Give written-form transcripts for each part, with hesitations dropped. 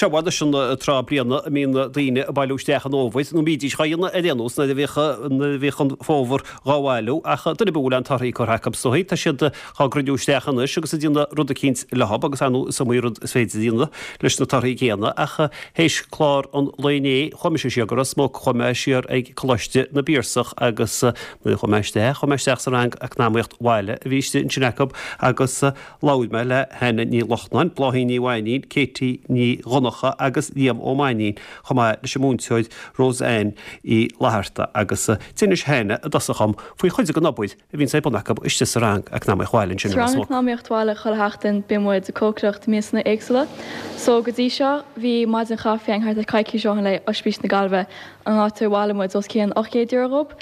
Seo anois an tráth bliana a mbíonn daoine ag bailiú isteach an fhómhair, nó bídís dhá dhéanamh ar aon nós nuair a bhíodh nuair a bhíodh an fómhar dhá bhailiú, ach duine ar bith a bhfuil aon torthaí curtha acu is dóigh, tá siad dhá gcruinniú isteach anois agus ag déanamh rud eicínt leo agus ar ndóigh is iomaí rud is féidir a dhéanamh leis na torthaí céanna ach théis clár an lae inné chuaigh mise siar go Ros Muc, chuaigh mé siar ag Coláiste na bPiarsach agus nuair a chuaigh mé isteach, chuaigh mé isteach sa rang Eacnamaíocht Bhaile a bhí istigh ansin acu agus. Labhair mé le Hannah Ní Lochnáin, Bláithín Ní Mhainín, Katie Ní Dhonncha agus Liam Ó Mainnín, chomh maith leis an múinteoir Roseanne Uí Fhlatharta agus d'inis Hannah i dtosach dhom faoi chuid den obair a bhíonns ar bun acu istigh sa rang Eacnamaíocht Bhaile ansin Sa i Ros rang Muc. Eacnamaíocht Bhaile chuile sheachtain bíonn muid ag cócaireacht miasanna éagsúla. So go dtí seo bhí maidin chaife againn thart ar coicís ó shin le Oispís na Gaillimhe an áit ar bhailigh muid os cionn €800 dhób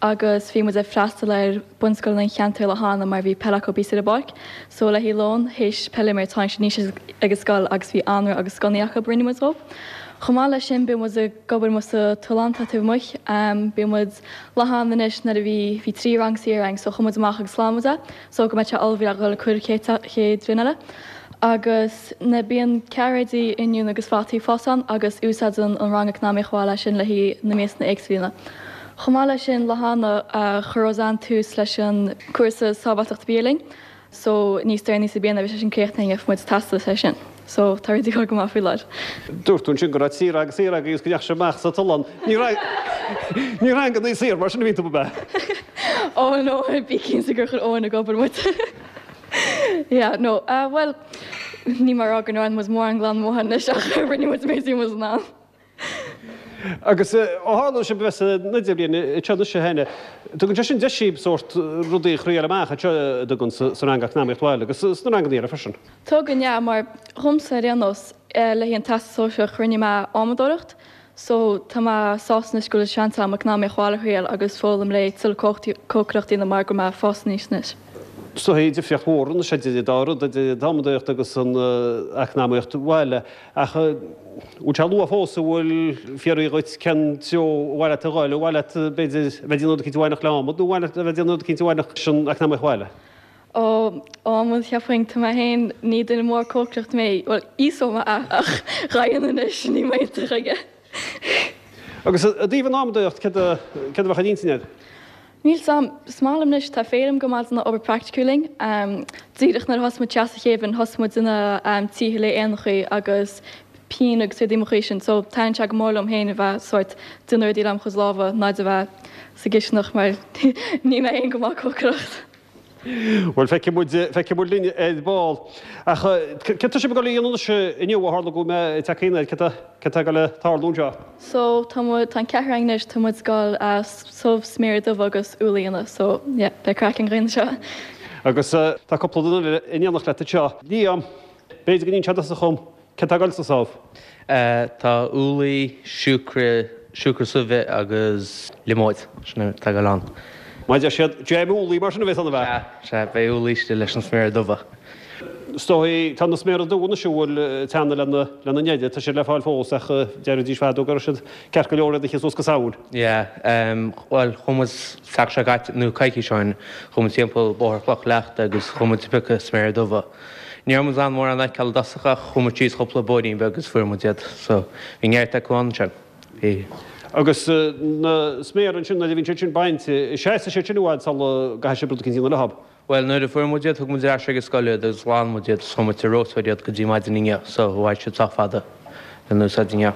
agus bhí muid ag freastal ar bunscoileanna an cheantair lá cheana mar bhí peil acu thíos ar an bpáirc so le haghaidh lón théis peil a imirt tháinig siad aníos ag an scoil agus bhí anraith agus sconnaí acu a rinne muid dhóibh. Chomh maith leis sin bíonn muid ag obair amuigh sa tollán atá taobh amuigh. Bíonn muid lá cheana anois nuair a bhí bhí 3 rang saor againn so chuaigh muid amach agus ghlan muid é so go mbeadh sé ullamh le dhul ag cur chéad chéad bhliain eile. Agus na bíonn cairéidí, oinniúin agus fataí ag fás ann agus úsáideann an rang Eacnamaíocht Bhaile é sin le haghaidh na miasanna éagsúla. Chomh maith leis sin, lá cheana chuir Roseanne tús leis an cúrsa sábháilteachta bia linn so níos deireanaí sa bliain a bheidh sé sin críochnaithe gheobhaidh muid teastas air sin. So tá rudaí ag dul go maith faoi láthair. Dúirt tú ansin go raibh trí rang saor agaibh agus go ndeachaigh sibh amach sa tollán. Ní ní ranganna saor mar sin a bhíonn tú ab ea? Oh no, bí cinnte gur chuir Eoin ag obair muid. Yeah, no, eh, bhuel, ní mar rá go ndearna muid mórán glanadh amuigh anois ach rinne muid an méid a bhí muid in ann. Agus ó tharla sibh a bheith san idirbhliain anseo anois a Hannah, tugann sé sin deis daoibh sórt rudaí a thriail amach anseo a dtugann sa rang Eacnamaíocht Bhaile agus sna ranganna eile freisin. Tugann, yeah, mar dhomsa ar aon nós, le haghaidh an Teastas Sóisearach rinne mé adhmadóireacht So, tá mé sásta anois go bhfuil seans agam eacnamaíocht bhaile a thriail agus foghlaim le tuilleadh cócaireachta a dhéanamh mar go bhfuil mé ag fás aníos anois. Is dóigh difríocht mhór anois idir an dá rud, idir an adhmadóireacht agus an eacnamaíocht bhaile. Ach bhfuil sé luath fós, an bhfuil fiafraí dhuit cén treo ar mhaith leat a dhul, ar mhaith leat b'fhéidir a bheith ag déanamh rud eicínt a bhainfeadh le adhmad nó ar mhaith leat a bheith ag déanamh rud eicínt a bhainfeadh leis an eacnamaíocht bhaile? Ó, adhmad, cheapfainn, tá mé féin, ní duine mór cócaireachta mé, bhuel, íosóidh mé é ach dhá dhéanamh anois, níl mé iontach aige. Agus i dtaobh an adhmadóireacht, céard a, céard a bheadh ar intinn agat? Níl 's a'm, is maith liom anois, tá Féilim go maith ag déanamh obair praiticiúil linn. Díreach nuair a thosaigh muid isteach sa chéad bhliain, thosaigh muid ag déanamh tithe le éanachaí agus pinn agus rudaí mar chuid sin, so taitníonn sé go mór liom féin a bheith sórt déanamh rudaí lem chuid lámha ná a bheith sa gcisteanach mar níl mé féin go maith cócaireacht. Bhuel, feicfidh muid, feicfidh muid linn ar ball. Ach céard tá sibh ag dul a dhéanamh anois inniu, ó tharla go bhfuil mé ag teacht air, céard tá, céard tá ag dul a tarlú anseo? So, tá muid, tá an ceathrar againn anois, tá muid ag dul subh sméara dubha agus úlla a dhéanamh, so yeah, beidh craic an ghrian anseo. Agus tá cúpla duine eile in éineacht leat anseo. Liam, b'fhéidir go n-inseofá tusa dhom Céard tá ag dul sa subh? Tá úllaí, siúcra, siúcra subh agus liomóid. Sin atá ag dul ann. Mar a deir siad, dream úllaí mar sin a bheas ann, ab ea? Sea, sea, beidh úllaí istigh leis na sméara dubha. Is dóigh, tá na sméara dubha anois a bhfuil ag teannadh lena, lena ndeireadh, tá siad le fáil fós ach deiridís fadó go raibh siad ceart go leor iad a ithe suas go Samhain. Yeah, bhuel, chuaigh muid seachtain seo caite, nó coicís ó shin, chuaigh muid timpeall Bóthar Chloch Leachta agus chuaigh muid ag piocadh sméara dubha. Ní raibh muid in ann mórán a fheiceáil i dtosach ach chuaigh muid síos chúpla bóithrín beag agus fuair muid iad. So, bhí neart acu ann ansin. Bhí. Agus na sméara ansin, nuair a bhíonn siad sin bainte, seasfaidh siad sin i bhfad sula gcaithfidh sibh rud eicínt a dhéanamh leo. Bhuel, nuair a fuair muid iad, thug muid ar ais ag an scoil iad agus ghlan muid iad agus chuir muid sa reoiteoir iad go dtí maidin inniu. So, mhair siad sách fada lena úsáid inniu.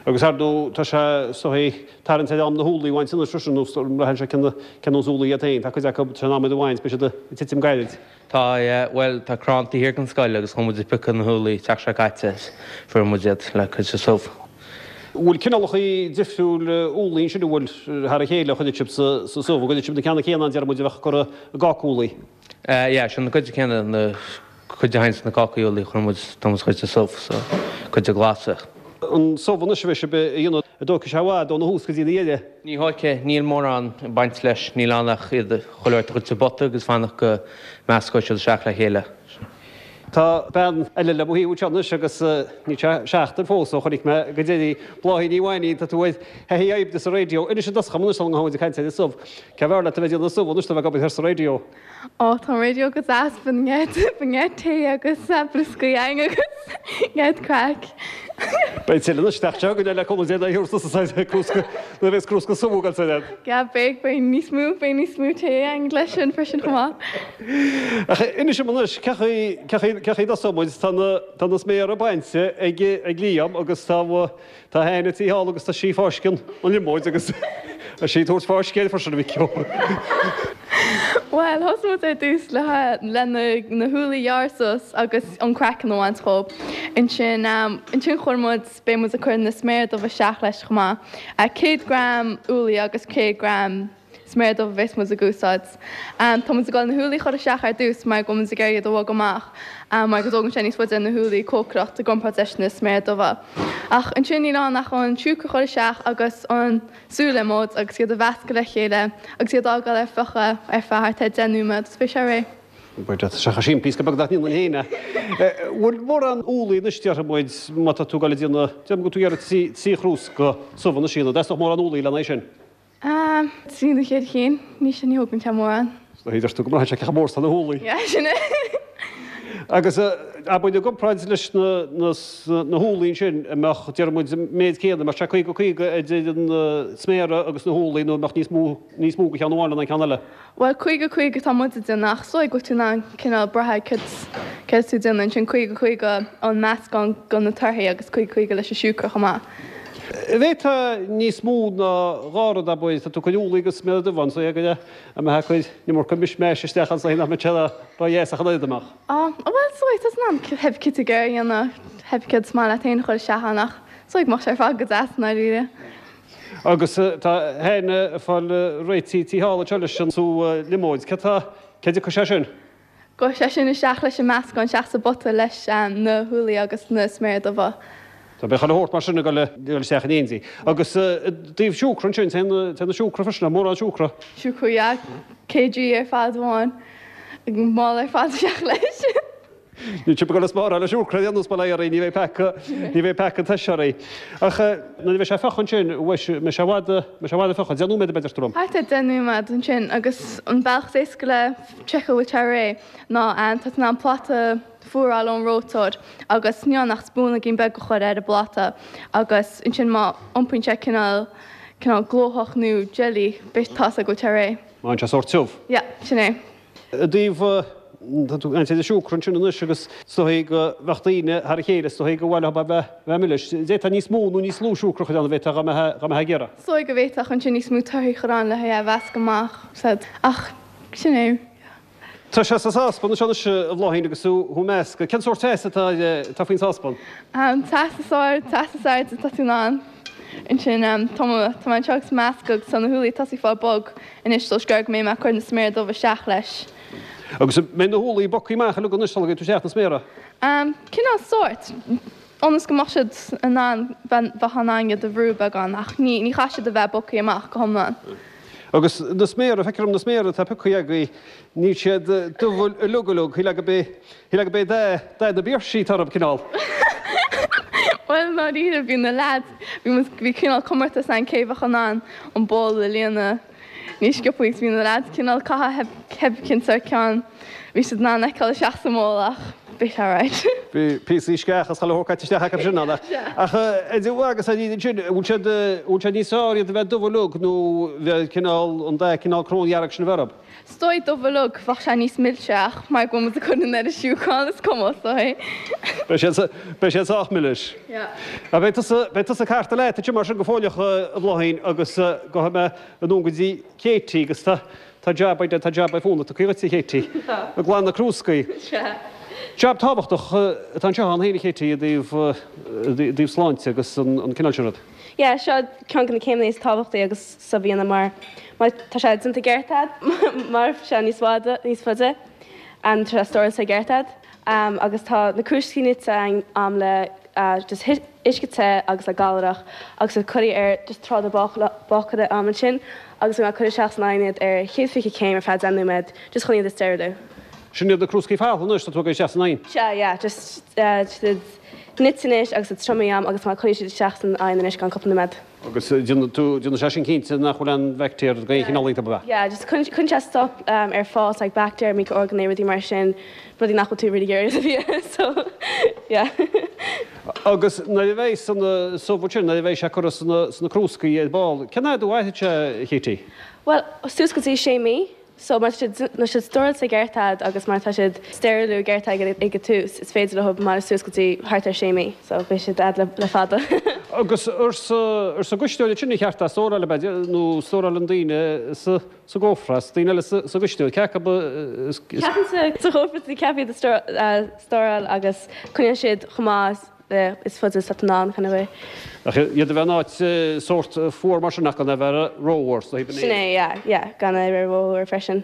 Agus ar ndóigh, tá sé, is dóigh, tarraingt ar am na húllaí a bhaint anois freisin, nó braitheann sé cén nós úllaí iad féin. Tá cuid acu, tá sé in am iad a bhaint, beidh siad ag titim gairid. Tá, yeah, bhuel, tá crann taobh thiar den scoil agus chuaigh muid ag piocadh na húllaí tseachtain seo caite, fuair muid iad le cur sa subh. Bhfuil cineálacha difriúil úllaí ansin, an bhfuil, thar a chéile a chuireann sibh sa subh, an gcuireann sibh na ceanna céanna ann, déarfaidh muid, a bheadh curtha i gcáca úllaí? Yeah, sin na cuid céanna, na cuid a thagann sna cácaí úllaí a chuireann muid, tá muid ag cur sa subh, so, cuid de glasa. An subh anois a bheidh sibh a dhéanamh, an dtógfaidh sé i bhfad óna thús go dtí a dheireadh? Ní thógfaidh, níl mórán ag baint leis, níl ann ach iad chuile shórt a chur sa bpota agus fanacht go meascóidh siad isteach le chéile. Tá bean eile le mo thaobh anseo anois agus níl sé seachtain fós ó chonaic mé go deireadh í. Bláithín Ní Mhainín, tá tú ar thaithí oibre sa raidió. Inis i dtosach dhom anois sula ngabhfaidh muid ag caint ar an subh. Cé b'fhearr leat a bheith ag déanamh subh anois nó bheith ag obair thoir sa raidió? Ó, tá an raidió go deas, bíonn neart tae agus brioscaí againn agus neart craic. Beidh tuilleadh anois isteach seo go le cúnamh Dé nuair a thabharfas tusa crúsca nuair a bheas crúsca subh agat san fhad. Yeah, beidh, beidh níos mó, beidh níos mó tae againn leis sin freisin chomh maith. Ach inis dom anois, cé chaoi, cé chaoi, cé chaoi a dtosóidh muid? Tá na, tá na sméara bainte ag, ag Liam agus tá, tá Áine istigh thall agus tá sí ag fáisceadh an liomóid agus tá sí ag tabhairt fáisceadh air freisin a mhic ó. Bhuel, thosaigh muid ar dtús le, le na, na húllaí a ghearradh suas agus an craiceann a bhaint dhóibh. Ansin, ansin chuir muid, beidh muid ag cur na sméara dubha isteach leis chomh maith. 100 gram úllaí agus 100 gram sméara dubha a bheas muid ag úsáid. Tá muid ag dul na húllaí a chur isteach ar dtús mar go bhfuil muid ag iarraidh iad a bhogadh amach mar go dtógann sé níos faide na húllaí cócaireacht i gcomparáid leis na sméara dubha. Ach ansin níl ann ach an siúcra a chur isteach agus an sú liomóid agus iad a mheascadh le chéile agus iad a fhágáil ar fiuchadh ar feadh thart ar 10 nóiméad agus beidh sé réidh. Tá sé chomh simplí is go beag nach ndéanfainn féin é. Bhfuil mórán úllaí anois déarfaidh muid má tá tú ag dul a dhéanamh, déarfaidh muid go bhfuil tú ag iarraidh trí chrúsca subh anois a dhéanamh, an dteastódh mórán úllaí lena aghaidh sin? Trí nó ceithre chinn, ní sin, ní thógann sé mórán. Deir tú go mbraitheann sé cé chomh mór is atá na húllaí. Yeah, sin é. Agus abair i gcomparáid leis na na húllaí ansin, an mbeadh, déarfaidh muid, an méid céanna, an mbeadh sé 50, 50 idir an sméara agus na húllaí nó an mbeadh níos mó, níos mó de cheann amháin ná an ceann eile? Bhuel, 50, 50 atá muid ag déanamh ach is dóigh go bhfuil tú in ann cineál brath ar céard, céard tá tú ag déanamh ansin, 50, 50 an meascán de na torthaí agus 50, 50 leis an siúcra chomh maith. An bhféadfá níos mó ná dhá rud, abair, tá tú ag cur úllaí agus sméara dubha ann, so go mbeifeá ag cur an iomarca mishmash isteach ann so nach mbeadh sé ró-dheas ach an oiread amach. Á, bhuel, is dóigh, tá tú in ann cibé céard atá tú ag iarraidh a dhéanamh, cibé céard is maith leat féin a chur isteach ann ach is dóigh go mbeadh sé ar fad go deas i ndáiríre. Agus tá Áine ag fáil réitithe istigh thall anseo leis an sú liomóid. Céard tá, cé dtiocfaidh sé sin? Gabhfaidh sé sin isteach leis an meascán isteach sa bpota leis na húllaí agus na sméara dubha. Tá beidh chuile shórt mar sin ag dul isteach in éindí. Agus i dtaobh siúcra ansin, téann na siúcra freisin, tá mórán siúcra. Siúcra, yeah. Kg ar fad amháin. Mála ar fad isteach leis. Níl sibh ag dul ag spáráil le siúcra ar aon nós, bail ó Dhia oraibh, ní bheidh peaca, ní bheidh peaca tuise oraibh. Ach nuair a bheidh sé fiuchta ansin, mbeidh sé i bhfad, mbeidh sé i bhfad ag fiuchadh, deich nóiméad ab ea deir tú liom? Thart ar deich nóiméad ansin agus an bealach is éasca le seiceáil bhfuil sé réidh ná tá tú in ann pláta fuar a fháil ón reoiteoir agus níl ann ach spúnóigín beag a chur ar an bpláta agus ansin má iompaíonn sé cineál cineál glóthach nó jelly beidh tá a fhios agat go bhfuil sé réidh. Má bhíonn sé sórt tiubh. Yeah, sin é. I dtaobh, tá tú ag caint ar an siúcra ansin anois agus is dóigh go bheadh daoine thar a chéile, is dóigh go mhaith leo a bheith bheith milis. D'fhéadfá níos mó nó níos lú siúcra a chur ann an bhféadfá dá mbeifeá dá mbeifeá ag iarraidh. Is dóigh go bhféadfadh ansin níos mó torthaí a chur ann le hé a mheascadh amach, said. Ach Sin é. Tá sé sa sáspan anseo anois, a Bhláithín, agus tú ag meascadh. Cén sórt teas atá atá faoin sáspan? An teas is ard, teas is airde atá tú in ann. Ansin, tá mé tá mé anseo agus meascadh agus tá na húllaí ag tosaí fáil bog anois so is gearr go mbeidh mé ag cur na sméara dubha isteach leis. Agus an mbeidh na húllaí bogtha amach uilig anois sula gcuirfidh tú isteach na sméara? Cineál sórt. Ionas go mbeadh siad in ann, bheadh in ann iad a bhrú beagán, ach ní ní chaithfidh siad a bheith bogtha amach go hiomlán. Agus na sméara, feictear dom na sméara atá pioctha agaibh, níl siad dubh uilig uilig, shílfeá gurb é, shílfeá gurb é dath, dath na bpéirsí atá orthu, cineál. Bhuel, i ndáiríre, bhí na leaids, bhí muid, bhí cineál comórtas ann cé bheadh in ann an ból a líonadh. Níos sciobtha agus bhí na leaids cineál caitheamh cibé cén sórt ceann bhí siad in ann a fheiceáil isteach sa mbol ach bhí sé alright. Bhí píosaí sceach is chuile shórt caite isteach acu sin ann ach ach idir mhaith agus ar iad ansin bhfuil siad bhfuil sé níos fearr iad a bheith dubh uilig nó bheith cineál an dath cineál cróndhearg sin a bheith orthu? Is dóigh dubh uilig bheadh sé níos milse ach mar go bhfuil muid ag cur an oiread siúcra ann is cuma is dóigh. Beidh siad beidh siad sách milis. Yeah. Beidh tusa beidh tusa ag cartadh leat ansin mar sin go fóilleach a Bhláithín agus gabhfaidh mé anonn go dtí Katie agus tá tá jab ag tá jab ag fónamh tugtha dhuit a Katie. Tá. Ag glanadh na crúscaí. Sea. Jab tábhachtach atá anseo ann féin a Katie i dtaobh i dtaobh sláinte agus an an cineál sin rud. Yeah, seo ceann de na céimeanna is tábhachtaí agus subh a dhéanamh mar má tá sé déanta i gceart a'd mairfidh sé níos faide níos faide and tá sé stóráilte i gceart a'd agus tá na crúiscíní nite a'm le just uisce te agus le galrach agus tá curtha ar just tráide bácaire a'm ansin agus beidh mé ag cur isteach san oigheann iad ar 120 céim ar feadh 10 nóiméad just chun iad a steiriliú. Sin iad na crúscaí folctha anois, tá tú ag dul isteach san oigheann. Sea, yeah, just tá siad nite anois agus iad triomaithe a'm agus má cuirfidh siad isteach san oigheann anois gan cúpla nóiméad. Agus déanann tú, déanann sé sin cinnte nach bhfuil aon bhaictéar d'aon chineál iontu, ab ea? Yeah, just cuireann sé stop ar fás like baictéir, micro-orgánaigh, rudaí mar sin, rudaí nach bhfuil tú really ag iarraidh sa bhia, so yeah. Agus nuair a bheidh san subh ansin, nuair a bheidh sé curtha sna crúscaí ar ball, cén fhad a mhairfidh sé, a Chéití? Bhuel, suas go dtí sé mí. So má tá siad, má tá siad stóráilte i gceart a'd agus má tá siad steiriliú i gceart a'd ag an tús, is féidir leo maireachtáil suas go dtí thart ar sé mí. So beidh siad a'd le, le fada. Agus ar sa, ar sa gcuisneoir ansin ar cheart é a stóráil ab ea, nó stórálann daoine sa, sa gcófra, is daoine eile sa, sa gcuisneoir, cé acu is, is. Ceapaimse sa chófra is ceart iad a stóráil agus coinneoidh siad chomh maith is faide is atá in ann, kind of way. Ach iad a bheith in áit sórt fuar mar sin ach gan é a bheith rófhuar, so Sin é, yeah, yeah, gan é a bheith rófhuar freisin.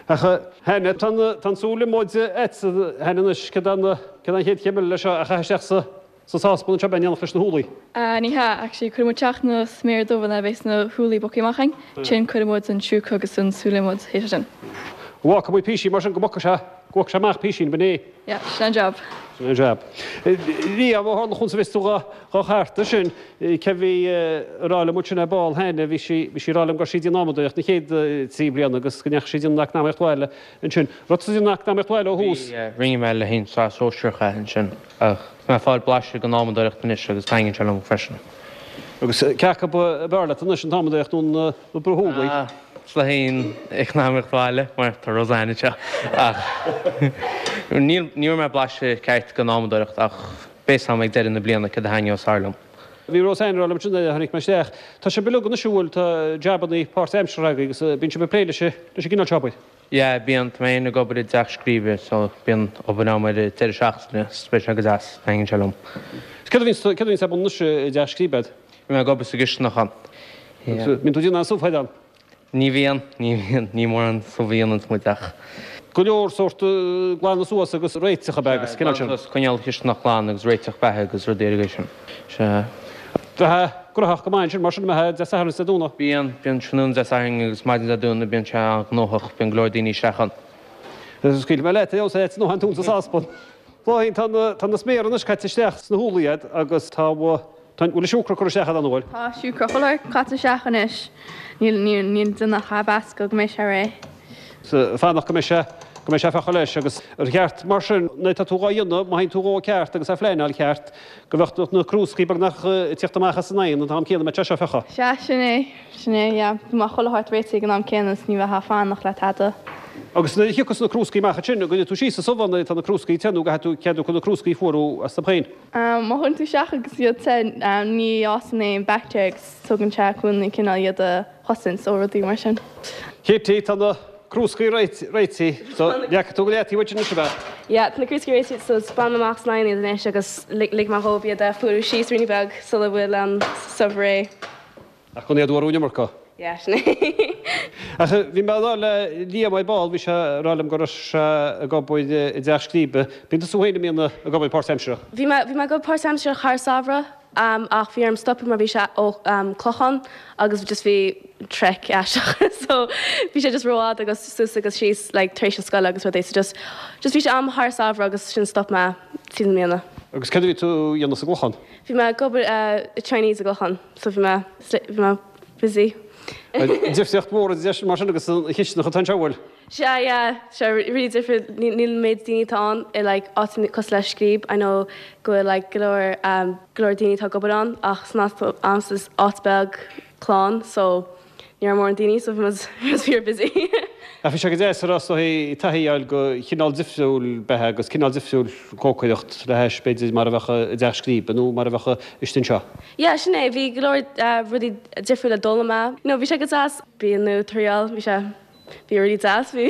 Ach Hannah, tá an tsúil amuigh a'dsa Hannah anois, céard é an chéad chéim eile leis seo a chaitheamh isteach sa sa sáspan anseo in éineacht leis na húllaí? Ní hea, actually, cuirfidh muid isteach na sméara dubha nuair a bheas na húllaí bogtha amach againn, ansin cuirfidh muid an siúcra agus an sú líomóid théis sin. An bhfágfaidh muid písín mar sin go mbogfaidh sé, go mbogfaidh sé amach písín, b'in é? Yeah, sin an jab. Sin an jab. Liam, ó tharla chúns a bhfios tú dha chartadh sin, cé bhí ag rá liom ansin ar ball cheana, bhí sí, bhí sí ag rá liom go raibh sí ag déanamh adhmadóireacht na chéad trí bliana agus go ndeachaigh sí ag déanamh eacnamaíocht bhaile ansin. Raibh tusa ag déanamh eacnamaíocht bhaile ó thús? Bhí, rinne mé le haghaidh an tsraith sóisearach é ansin ach tá mé ag fáil blaiseadh den adhmadóireacht anois agus taitníonn sé liom freisin. Agus cé acu ab fhearr leat anois, an t-adhmadóireacht nó na brú úllaí? Ah, is le haghaidh an eacnamaíocht bhaile mar tá Roseanne anseo ach níl, ní bhfuair mé blaiseadh ceart den adhmadóireacht ach beidh a fhios a'm ag deireadh na bliana céard a thaitneos fearr liom. Bhí Roseanne ag rá liom ansin nuair a tháinig mé isteach, tá sibh uilig anois an bhfuil, tá jabannaí páirtaimseartha agaibh agus bíonn sibh ag plé leis an gcineál seo obair. Yeah, bíonn, tá mé féin ag obair i dteach scríbe so bíonn obair a'm ar an deireadh seachtaine so beidh sé go deas, taitníonn sé liom. Céard a bhíonns, céard a bhíonns ar bun anois i dteach scríbe a'd? Bíonn mé ag obair sa gcisteanach ann. Yeah. Bíonn tú ag déanamh an subh ann? Ní bhíonn, ní bhíonn, ní mórán subh a dhéananns muid ach. Go leor sórt glanadh suas agus réiteach ab ea agus cineál sin. Glanadh suas, coinneáil an chisteanach glan agus réiteach beatha agus rudaí ar an gcaoi sin. Sea. Bheifeá gnóthach go maith ansin mar sin, an mbeifeá Dé Sathairn is Dé Domhnaigh? Bíonn, bíonn tráthnóna Dé Sathairn agus maidin Dé Domhnaigh, bíonn sé an-ghnóthach, bíonn go leor daoine isteach ann. Scaoilfidh mé leat é ós é nó an tú sa sáspan. Bláithín, tá na, tá na sméara anois caite isteach sna húllaí a'd agus tá, tá, bhfuil an siúcra curtha isteach a'd an bhfuil? Tá siúcra chuile shórt caite isteach anois. Níl, níl, níl duine ach á mheascadh go mbeidh sé réidh. Fanacht go mbeidh sé, go mbeidh sé feicthe leis agus ar cheart mar sin nuair atá tú dhá dhéanamh, má théann tú dhó ceart agus á phleanáil ceart, go mbeadh na crúscaí beagnach ag tíocht amach as an oigheann an t-am céanna a mbeadh sé seo feicthe. Sea, sin é, sin é, yeah. Go mbeadh chuile shórt réitithe ag an am céanna is ní bheifeá ag fanacht le tada. Agus nuair a thiocfas na crúscaí amach ansin, an gcuirfidh tú síos sa subh nuair atá na crúscaí te nó an gcaithfidh tú cead acu na crúscaí a fuarú astu féin? Má chuireann tú isteach agus iad te, ní fhásann aon baictéir agus tugann sé cúnamh cineál iad a chosaint ó rudaí mar sin. Kitty, tá na crúscaí réitithe, so leagfaidh tú go leataobh iad anois, ab ea? Yeah, tá na crúscaí réitithe, so bainfidh mé amach as an oigheann iad anois agus ligfidh mé dhóibh iad a fuarú síos ruainne beag sula bhfuil an subh réidh. Ach gan iad a fhuarú an iomarca. Yeah, sin é. Ach bhí mé ag rá le Liam ar ball, bhí sé ag rá liom go raibh sé ag obair i dteach scríbe. Bíonn tusa féin, an mbíonn, ag obair páirtaimseartha? Bhí mé, bhí mé ag obair páirtaimseartha thar samhradh. Ach bhí orm stopadh mar bhí sé ó Clochán agus just bhí trek aisteach so bhí sé just rófhada agus suas agus síos like tar éis an scoile agus rudaí so just just bhí sé am thar samhradh agus sin stop mé tríd na mbliana. Agus céard a bhí tú a dhéanamh sa gClochán? Bhí mé ag obair i Chinese i gClochán so bhí mé bhí mé busy. Difríocht mhór idir sin mar sin agus an chisteanach atá anseo, bhfuil? Sea, yeah, sea, really difriúil, níl an méid daoine atá ann i like áiteanna cosúil le Scríb, I know go bhfuil like go leor um go leor daoine atá ag obair ann ach san áit a'msa is áit beag clann so ní raibh mórán daoine so bhí muid bhí muid fíor busy. Ach bhí sé go deas a rá is dóigh taithí a fháil go chineál difriúil beatha agus cineál difriúil cócaireacht le hais b'fhéidir mar a bheadh i dteach Scríbe nó mar a bheadh istigh anseo. Yeah, sin é, bhí go leor rudaí difriúla a d'fhoghlaim mé, you know bhí sé go deas bia nua a thriáil, bhí sé Bhí really deas, bhí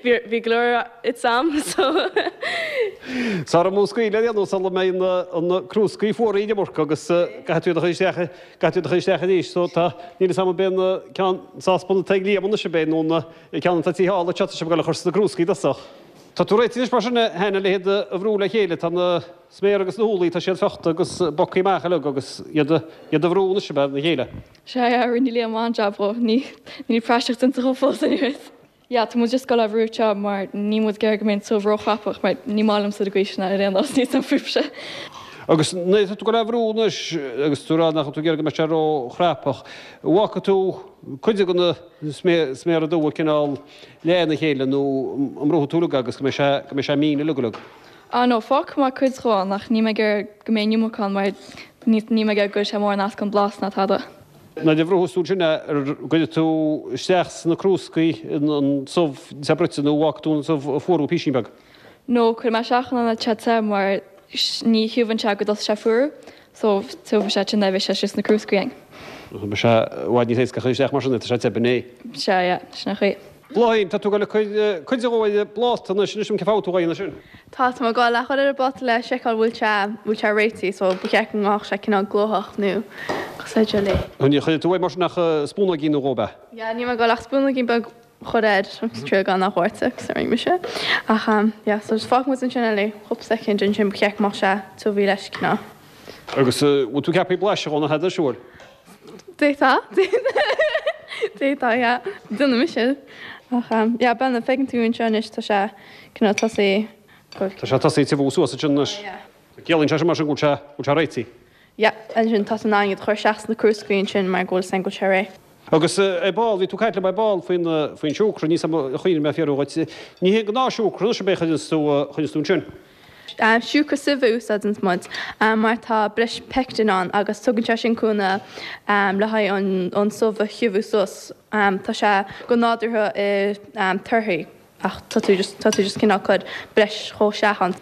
bhí go leor ite a'm so. Sara múscaí le déanamh sula mbeidh na crúscaí fuaraithe an iomarca agus caithfidh tú iad a chur isteach, caithfidh tú iad a chur isteach arís so tá, níl fhios a'm an b'é an ceann sáspan atá ag Liam anois ab é nó an ceann atá thall anseo tá sibh ag dul a chur sna crúscaí i dtosach. Tá tú réitithe anois mar sin a Hannah le hiad a bhrú le chéile, tá na sméara agus na húllaí, tá siad fiuchta agus bogtha amach uilig agus iad a bhrú anois ab ea lena chéile. Sea, yeah, rinne Liam an-jab dhó. Ní, níl praiseach déanta dhó fós anyways. Yeah, tá muid just ag dul á bhrú anseo mar níl muid ag iarraidh go mbeidh an subh róchrapach mar ní maith liomsa na gaoiseanna ar aon nós, níl 's a'm fúibhse. Agus nuair atá tú ag dul á bhrú anois agus tú ag rá nach bhfuil tú ag iarraidh go mbeidh sé róchrapach, an bhfágfaidh tú cuid de na sméara dubha cineál leath ina chéile nó an mbrúfaidh tú uilig agus go mbeidh sé, go mbeidh sé mín uilig uilig? Ah no, fágfaidh mé cuid dhó ann ach níl mé ag iarraidh go mbeidh an iomarca ann mar níl mé ag iarraidh go gcuirfidh sé mórán as don blas ná tada. Nuair a bhrúfas tú ansin é, an gcuirfidh tú isteach sna crúscaí an subh te bruite nó an bhfágfaidh tú an subh ag fuarú písín beag? No, cuirfidh mé isteach ann é te te mar ní thiubhann sé go dtosaigh sé ag fuarú so tiubhfaidh sé ansin é bheidh sé istigh sna crúscaí againn. Beidh sé i bhfad níos éasca a chur isteach mar sin é, tá sé te b'in é. Sea, yeah, sin an chaoi. Bláithín, tá tú ag dul ag cur cuid de dhó ar an bpláta anois, inis dom cén fáth a bhfuil tú dhá dhéanamh sin? Tá, tá mé ag dul a chur ar an bpláta le seiceáil bhfuil sé, bhfuil sé réitithe so ba cheart go ngabhfadh sé cineál glóthach nó cosúil le jelly. Ní chuirfidh tú air mar sin ach spúnóigín nó dhó, ab ea? Yeah, níl mé ag dul ach spúnóigín beag a chur air agus triail gan a dhoirteadh agus a rinne mise. Ach yeah, so just fágfaidh muid ansin é le cúpla soicind ansin ba cheart go mbeadh sé tiubh leis cineál. Agus bhfuil tú ceaptha blaiseadh dhó nó tada, siúil? D'fhéadfá. D'fhéadfá, yeah. Déanfaidh mise. Ach, yeah, bhuel, feiceann tú anseo anois, tá sé cineál tosaithe go. Tá sé tosaithe tiubhú suas ansin anois. Yeah. Ciallaíonn sé sin mar sin go bhfuil sé, go bhfuil sé réitithe. Yeah, ansin tá tú in ann iad a chur isteach sna crúscaí ansin mar go bhfuil a fhios againn go bhfuil sé réidh. Agus ar ball, bhí tú ag caint liom ar ball faoin, faoin siúcra, níl 's a'm ar chuimhnigh mé fiafraí dhuit. Ní hé an gnáthshiúcra anois ab é a chuireanns tú, a chuireanns tú ansin? Siúcra sive a úsáideanns muid mar tá breis pectin ann agus tugann sé sin cúnamh le haghaidh an subh a thiubhú suas. Tá sé go nádúrtha i torthaí ach tá tú just tá tú just cineál cur breis dhó isteach ann.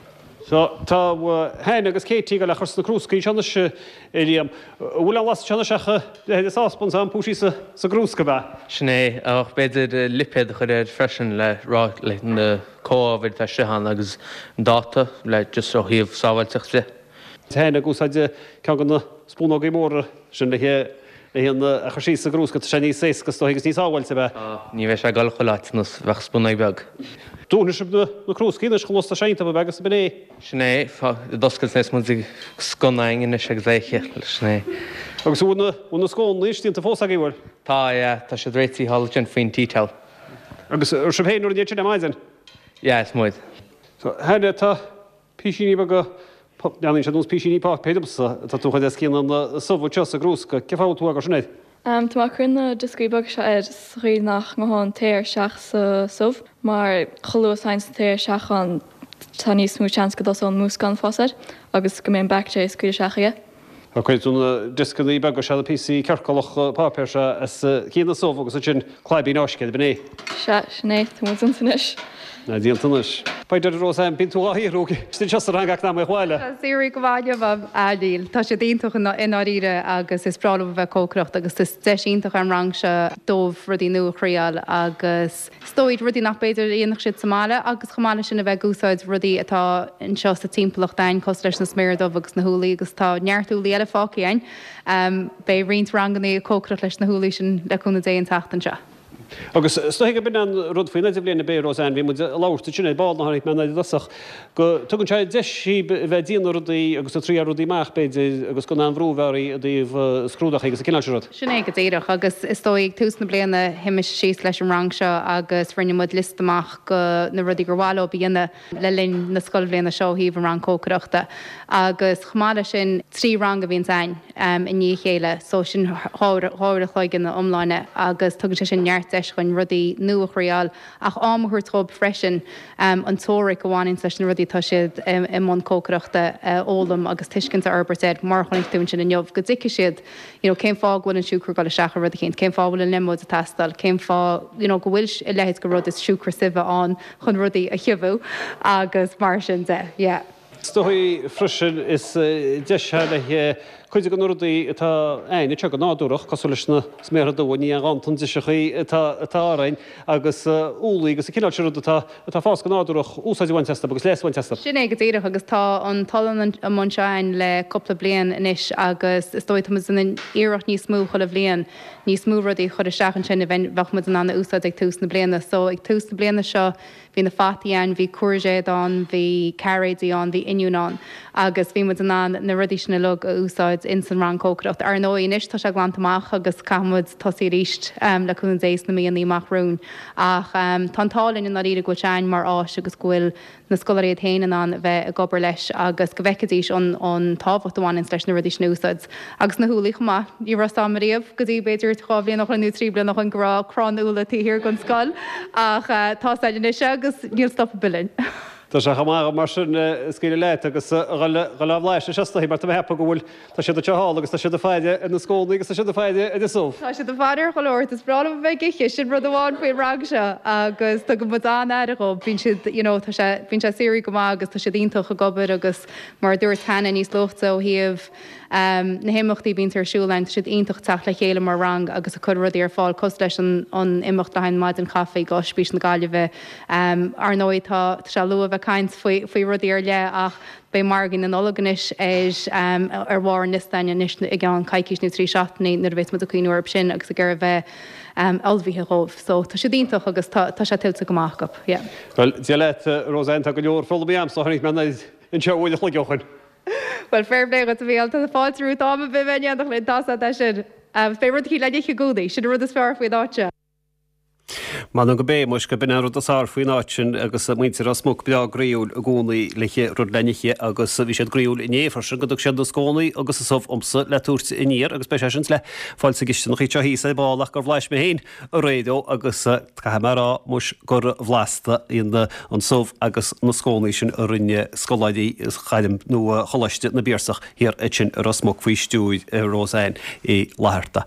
So, tá Hannah agus Katie ag dul a chur sna crúscaí anseo anois, a Liam. An bhfuil aon bhlas anseo anois ach leithéid de sáspan 's ampú síos sa gcrúsca, ab ea? Sin é, ach b'fhéidir lipéad a chur air freisin le rá le na comhábhair atá istigh ann agus an dáta le just ó thaobh sábháilteacht de. Hannah ag úsáid ceann de na spúnógaí móra sin le híon a chur síos sa gcrúsca, tá sé níos éasca is dóigh agus níos sábháilte, ab ea? Tá, ní bheidh sé ag dul chuile áit ar nós bheadh spúnóig beag. Dúnfaidh sibh na crúscaí anois chomh luath is atá sé iontu, ab ea, agus b'in é. Sin é, d'oscailt anois muid ag sconna againn anois agus é sin é. Agus an bhfuil na scónnaí anois déanta fós agaibh, bhfuil? Tá, yeah, tá siad réitithe thall ansin faoin tea towel. Agus sibh féin a rinne iad sin ar maidin? Yeah, is muid. So, Hannah, tá písíní beaga, breathnaíonn siad ar nós písíní páipéir domsa, atá tú a chur os cionn an subh anseo sa gcrúsca. Cén fáth a bhfuil tú á gcur sin air? Tá mé ag cur na dioscaí beaga seo air sa chaoi nach ngabhann an t-aer isteach sa subh, mar chomh luath is a thagann an t-aer isteach ann tá níos mó seans go dtosóidh an múscán ag fás air agus go mbeidh an baictéar ag scaoileadh isteach aige. Cuireann tú na dioscannaí beaga seo, na píosaí ciorcalacha páipéir seo os cionn an subh agus ansin claibín fháiscthe air, b'in é? Sea, sin é. Tá muid déanta anois. Tá déanta anois. Faoi dheireadh, Roseanne, bíonn tú dhá shaothrú istigh anseo sa rang ach ná maith abhaile. Tá saoirí go maith liom, a níl. Tá siad iontach i ndáiríre agus is breá leo a bheith ag cócaireacht agus is deis iontach é an rang seo dóibh rudaí nua a thriáil agus Is dóigh, rudaí nach b'fhéidir a dhéanfadh siad sa mbaile agus chomh maith leis sin a bheith ag úsáid rudaí atá anseo sa timpeallacht a'ainn cosúil leis na sméara dubha agus na húllaí agus tá neart úllaí eile fágtha a'ainn. Beidh roinnt rangannaí ag cócaireacht leis na húllaí sin le cúnamh Dé an tseachtain seo. Agus is dóigh gurb in an rud faoin idirbhliain ab é, Roseanne, bhí muid ag labhairt ansin ar ball, nuair a tháinig mé i dtosach, go dtugann sé deis daoibh a bheith ag déanamh rudaí agus ag triáil rudaí amach, b'fhéidir, agus gan aon bhrú a bheith oraibh i dtaobh scrúdachaí agus an cineál sin rud. Sin é go díreach. Agus is dóigh ag tús na bliana shuigh mise síos leis an rang seo agus rinne muid liosta amach go na rudaí gur mhaith leo a dhéanamh le linn na scoilbhliana seo ó thaobh an rang cócaireachta. Agus chomh maith leis sin, 3 rang a bhíonns a'ainn i ndiaidh a chéile so sin 2 uair a chloig ina iomláine agus tugann sé sin neart deis dhuinn rudaí nua a thriáil ach am a thabhairt dhóibh freisin an teoiric a bhaineanns leis na rudaí atá siad i mbun cócaireachta a fhoghlaim agus tuiscint a fhorbairt air mar a chonaic tú ansin inniu go dtuigfidh siad you know cén fáth go bhfuil an siúcra ag dul isteach i rud eicínt, cén fáth a bhfuil an liomóid ag teastáil, cén fáth you know go bhfuil a leithéid de rud is siúcra sive ann chun rudaí a thiubhú agus mar sin de, yeah. Is dóigh freisin is deis é le cuid de na rudaí atá a'ainn anseo go nádúrach, cosúil leis na sméartha dubha, ní aon ghanntan driseachaí atá orainn, agus úllaí agus an cineál sin rud atá atá ag fás go nádúrach, úsáid a bhaint astu agus leas a bhaint astu. Sin é go díreach agus tá an t-olann amuigh anseo a'ainn le cúpla bliain anois agus is dóigh tá muid ag déanamh iarracht níos mó chuile bhliain níos mó rudaí a chur isteach ansin a bheadh muid in ann a úsáid ag tús na bliana. So ag tús na bliana seo bhí na fataí ann, bhí cúirzéad ann, bhí cairéidí ann, bhí oinniún ann agus bhí muid in ann na rudaí sin uilig a úsáid. úsáid ins an rang cócaireacht. Ar ndóigh anois tá sé glanta amach agus caithfidh muid tosaí arís le cúnamh Dé sna míonna amach romhainn ach tá an t-ádh linn i ndáiríre go bhfuil sé a'ainn mar áis agus go bhfuil na scoláirí iad féin in ann a bheith ag obair leis agus go bhfeicfidís an tábhacht a bhaineanns leis na rudaí sin a úsáid. Agus na húllaí chomh maith. Ní raibh 'fhios a'm ariamh go dtí b'fhéidir 2 bhliain ó shoin nó 3 bliana ó shoin go raibh crann úlla taobh thiar den scoil ach tá 'fhios a'inn anois agus níl stop ar bith linn. Tá sé chomh maith mar sin scaoileadh leat agus a dhul á bhlaiseadh is dóigh mar tá mé ag ceapadh go bhfuil Tá siad anseo thall agus tá siad ag faire ar na scónaí agus tá siad ag faire ar an subh. Tá siad ag faire ar chuile shórt. Is breá leo a bheith ag ithe, sin rud amháin faoin rang seo agus tugann muid an-aire dhóibh. Bíonn siad, you know, tá sé, bíonn sé suarach go maith agus tá siad iontach ag obair agus mar a dúirt Hannah níos luaithe ó thaobh na himeachtaí a bhíonns ar siúl ann, tá siad iontach ag teacht le chéile mar rang agus ag cur rudaí ar fáil cosúil leis an an imeacht le haghaidh an maidin chaife go Ospís na Gaillimhe. Ar ndóigh tá, tá sé luath a bheith ag caint faoi, faoi rudaí ar leith ach, Beidh margaí na Nollag anois ar ar bharr an liosta againn anois i gceann coicís nó 3 seachtainí nuair a bheas muid ag cuimhniú orthu sin agus ag iarraidh a bheith ullmhaithe dhóibh. So tá siad iontach agus tá tá sé tuillte go maith acu. Yeah. Bhuel, Dia leat, Roseanne, tá go leor foghlamtha a'msa ó tháinig mé anoir anseo uair a chloig ó shoin. Bhuel, fair play dhuit a Mhícheáil, tá fáilte romhat am ar bith a bheith in éineacht linn, tá 's a'd é sin. Agus beidh rud eicínt le n-ithe i gcónaí, sin an rud is fearr faoin áit seo. M'anam go mb'é, muis, go b'in an rud is fearr faoin áit sin agus muintir Ros Muc breá groíúil i gcónaí le rud le n-ithe agus bhí siad groíúil inné freisin go dtug siad na scónaí agus an subh dhomsa le tabhairt aniar agus beidh sé sin le fáil sa gcisteanach anseo thíos ar ball ach gur bhlais mé féin aréir é agus caithfidh mé a rá muis gur bhlasta an subh agus na scónaí sin a rinne scoláirí Ghairm nó Choláiste na bPiarsach thiar ansin i Ros Muc faoi stiúir Roseanne Uí Fhlatharta.